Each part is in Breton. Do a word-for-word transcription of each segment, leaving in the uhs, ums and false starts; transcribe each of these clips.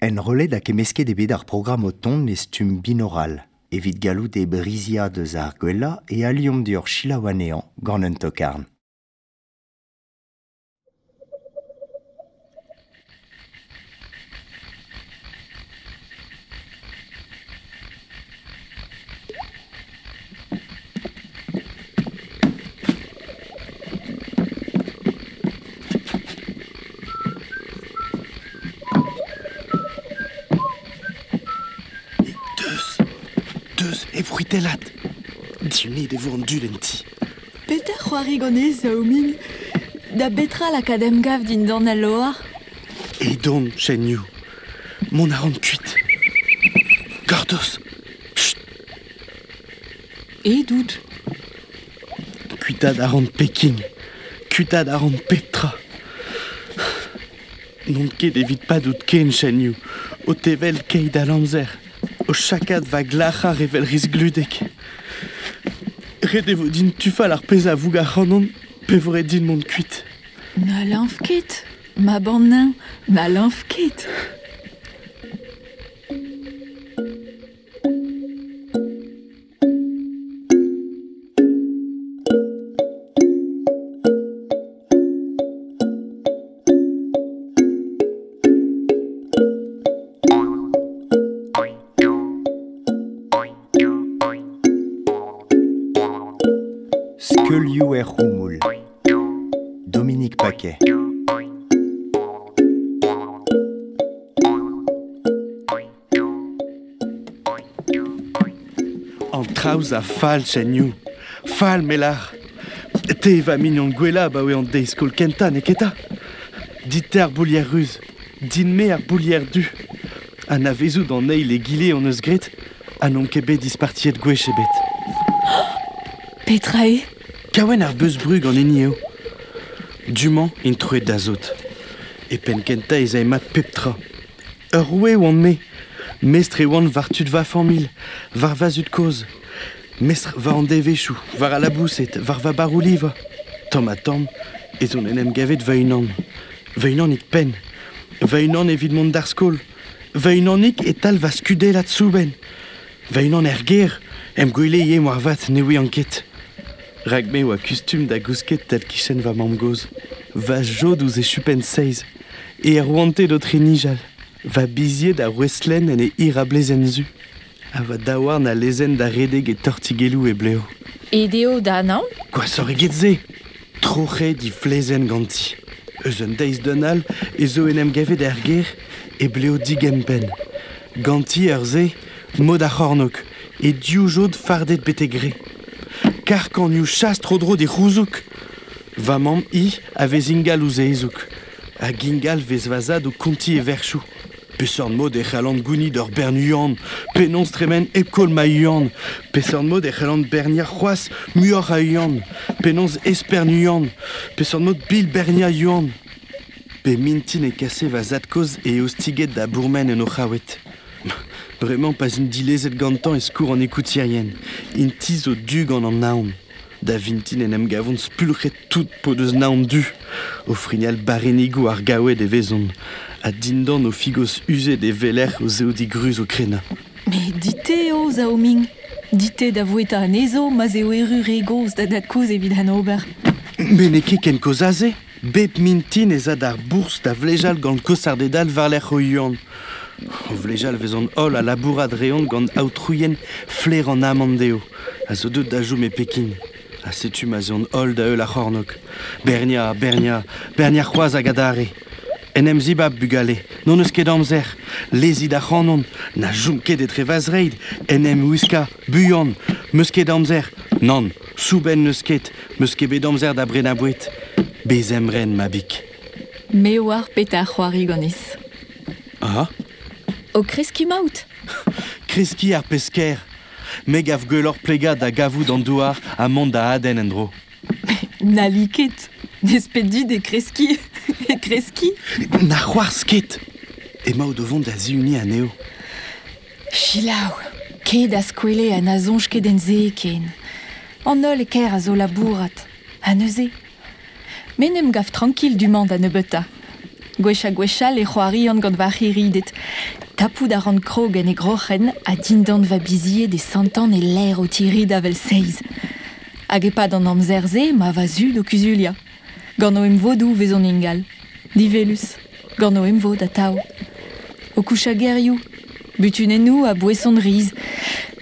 Enrollet hag kemmesket eo bet ar programm o tont e stumm binaural, evit gallout e briziañ deus ar gwellañ e aliomp deoc'h selaou anezhañ gant un tokarn. Deus, deus, e c'hwitellat. Diunit e vo an dud en ti. Petra c'hoari ganez, Zaoming? Da betra lakaat emgav dindan al loar? Edon, Chen-Yu. Mont a ran kuit. Gortoz. Chut. Edout. Kuitaat a ran Peking. Kuitaat a ran pep tra. N'on ket evit padout ken, Chen-Yu. O tevel keit all amzer. O chakat va glac'har evel risgludek. Ret e vo din tufal ar pezh a voug ac'hanon, pe vo ret din mont kuit. Na leñv ket, mab an neñv, na leñv ket. Skeulioù er c'houmoul. Dominique Paquet. An traoù a fall, Chen-Yu. Fall, melar. Te va mignon gwellañ abaoe an deiz skol kentañ, n'eo ket 'ta? Dit-te ar boulier ruz, din-me ar boulier du. Anavezout an eil egile hon eus graet, ha n'omp ket bet dispartiet gwech ebet. Petra eo? Kaouenn ar beuz-brug an hini eo. Du-mañ int troet da sot. E penn kentañ ez ae mat pep tra. Ur roue oan-me. Mestr e oan war tud va familh, war va zud-kozh. Mestr war an devezhioù, war al laboused, war va barroù-livañ. Tamm-ha-tamm ez on en em gavet va-unan. Va-unanik penn. Va-unan evit mont d'ar skol. Va-unanik e-tal va skudellad soubenn. Va-unan er gêr, em gwele ivez moarvat ne ouian ket. Rak me oa kustum da gousket tal-kichen va mamm-gozh. Va jod ouzh e chupenn seiz. E arouanted o trenijal. Va bizied a rouestlenn en e hir a blezenn zu. Ha va daouarn a lezenn da redek e tortigelloù e blev. Aet eo da anaon? Gwashoc'h eget se. Troc'het he flezenn ganti. Eus un deiz d'un all ez zo en em gavet er gêr e blev digempenn. Ganti ur se, mod ar c'hornôg, e div jod fardet betek re. Karkanioù chas tro-dro d'e c'houzoug. Va mamm hi a vez ingal ouzh e hezoug. Hag ingal vez va zad o kontiñ e verchoù. Peseurt mod e c'hallan gounit ur bern yuan, penaos tremen hep koll ma yuan, peseurt mod e c'hallan berniañ c'hoazh muioc'h a yuan, penaos espern yuan, peseurt mod bil berniañ yuan. Pe mintin e kase va zad-kozh e eostiged da bourmen en o c'haoued. Bremañ pa'z int dilezet gantañ e skourr an ekoutierien, int-i zo du gant an naon. Da vintin en em gavont spulc'het tout p'o deus naon du. O frignal barrennigoù ar gaoued e vezont, ha dindan o figos uzet e weler o zeodiñ gruz o krenañ. Met dit-te eo, Zaoming. Dit-te da voueta anezho ma'z eo erru re gozh da dad-kozh evit an ober. Met n'eo ket ken kozh aze. Bep mintin ez a d'ar bourzh da vlejal gant kosarded all war-lerc'h o yuan. O vlejal vezont holl a labourat reont gant aotrouien flaer an amann dezho, a zo deuet da chom e Peking. Ha setu ma'z eont holl da heul ar c'hornôg. Berniañ, berniañ, berniañ c'hoazh hag adarre. En em zibab, bugale, n'hon eus ket amzer. Lezit ac'hanon, na chom ket etre va zreid, en em wiskañ, buan, 'meus ket amzer. Nann, soubenn n'eus ket, 'meus ket bet amzer da brenañ boued. Bez emren, mabig. Me oar petra c'hoari ganez. Ah? O kreskiñ 'maout. Kreskiñ ar pezh ker. Me gav gwelloc'h plegañ da gavout an douar ha mont da adenn en-dro. N'halli ket. N'ez pet dit e kreskiñ. E kreskiñ. Na c'hoarzh ket. Emaout o vont da zihuniñ anezho. Selaou, ket az kwele ha na soñj ket en se ken. An holl e kêr a zo labourat. Ha neuze? Me 'n em gav trankil du-mañ da nebeutañ. Gwech a gwechal e c'hoarian gant va c'hiridet. Tapout a ran krog en e groc'hen a dindan va bizied e santan e l'air o tirid avel seiz. Hag epad an amzer-se ma va zud o kuzulia. Gant o emvodou vez an ingal. Divelus. Gant o emvod atao. O koucha gerioù. Butunennou a boeson riz.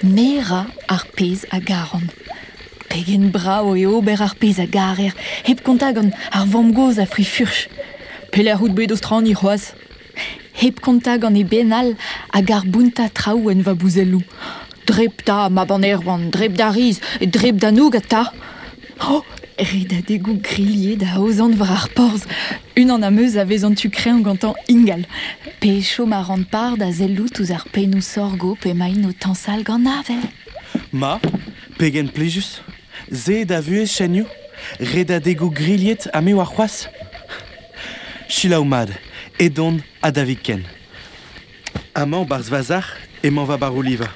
Me ra ar pez a garan. Pegen brao e ober ar pez a garer. Hep konta gant ar vamm-gozh a fri furch. Pelec'h out bet o straniñ c'hoazh. Hep konta gant e benal hag ar bounta traoù en va bouzelloù. Dreb ta, ma ban erwan, dreb da riz, dreb da noug ta. Oh, redadegoù grillier da ozan war ar porzh. Unan am eus a vez an tu kreñv gantañ ingal. Pe chom a ran par da sellout ouzh ar pennoù sorgo pe maint o tañsal gant avel. Ma, pegen plijus, se da vuhez chenioù, redadegoù grilhet ha me war c'hoazh. Selaou mat, edon ha da viken. Amañ barzh va emañ va baroliva.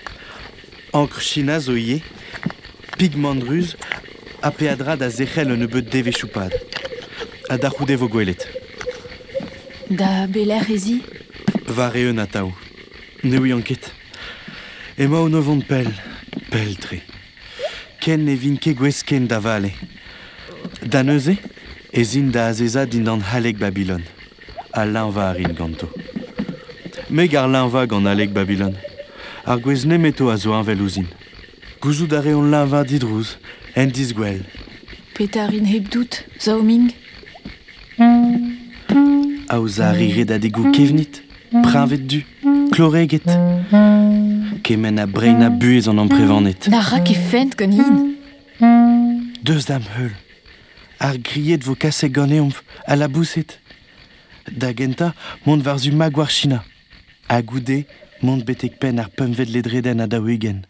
Ankr China zo ivez, pigment ruz ha peadra da zerc'hel un nebeud devezhioù pad. Ha da c'houde vo gwelet. Da belec'h ez i? War eeun atav. Ne ouian ket. Emaon o vont pell, pell-tre. Ken ne vin ket gouest ken da vale. Da neuze, ez in da azezañ dindan haleg Babylon. Ha leñvañ a rin ganto. Me gar leñvañ gant haleg Babylon. Ar gwez nemeto a zo heñvel ouzhin. Gouzout a reont leñvañ didrouz, en disgwel. Petra rin hepdout, Zaoming? Aozañ a ri redadegoù kevnid, preñved du, kloreged. Kement a breinañ buhez an amprevaned. Na ra ket fent ganin. Deus d'am heul. Ar grilhed vo kaset ganeomp, ha laboused. Da gentañ, mont war-zu magoar China. Ha goude, mont betek penn ar pempvet ledredenn ha daou-ugent.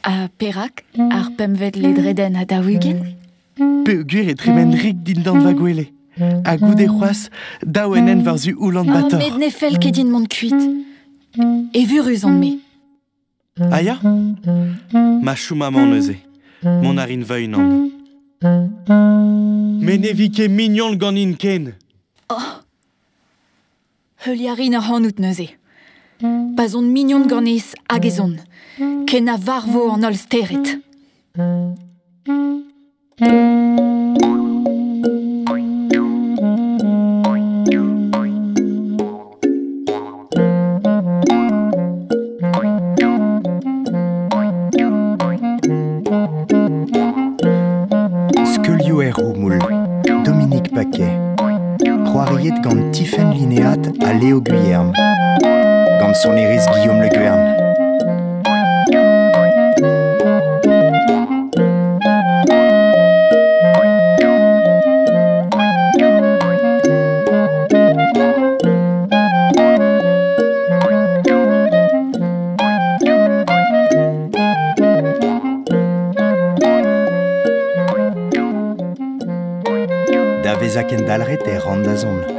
Ha perak ar pempvet ledredenn ha daou-ugent? Peogwir e tremen rik dindan va gwele. Ha goude c'hoazh, daou en hent war-zu Oulan-Bator. Oh, met ne fell ket din mont kuit. Evurus on-me. Ah ya? Ma chom amañ neuze. Mont a rin va-unan. Me ne vi ket mignon ganin ken. Oh. Heuliañ a rin ac'hanout neuze. Pa'z on mignon ganez hag ez on. Ken a varvo an holl stered. Skeulioù er Roumoul, Dominique Paquet. C'hoariet gant Tifenn Linéat ha Léo Guyerme. Gant sonerezh Guillaume Le Guern. Da vezañ kendalc'het e ran da zont.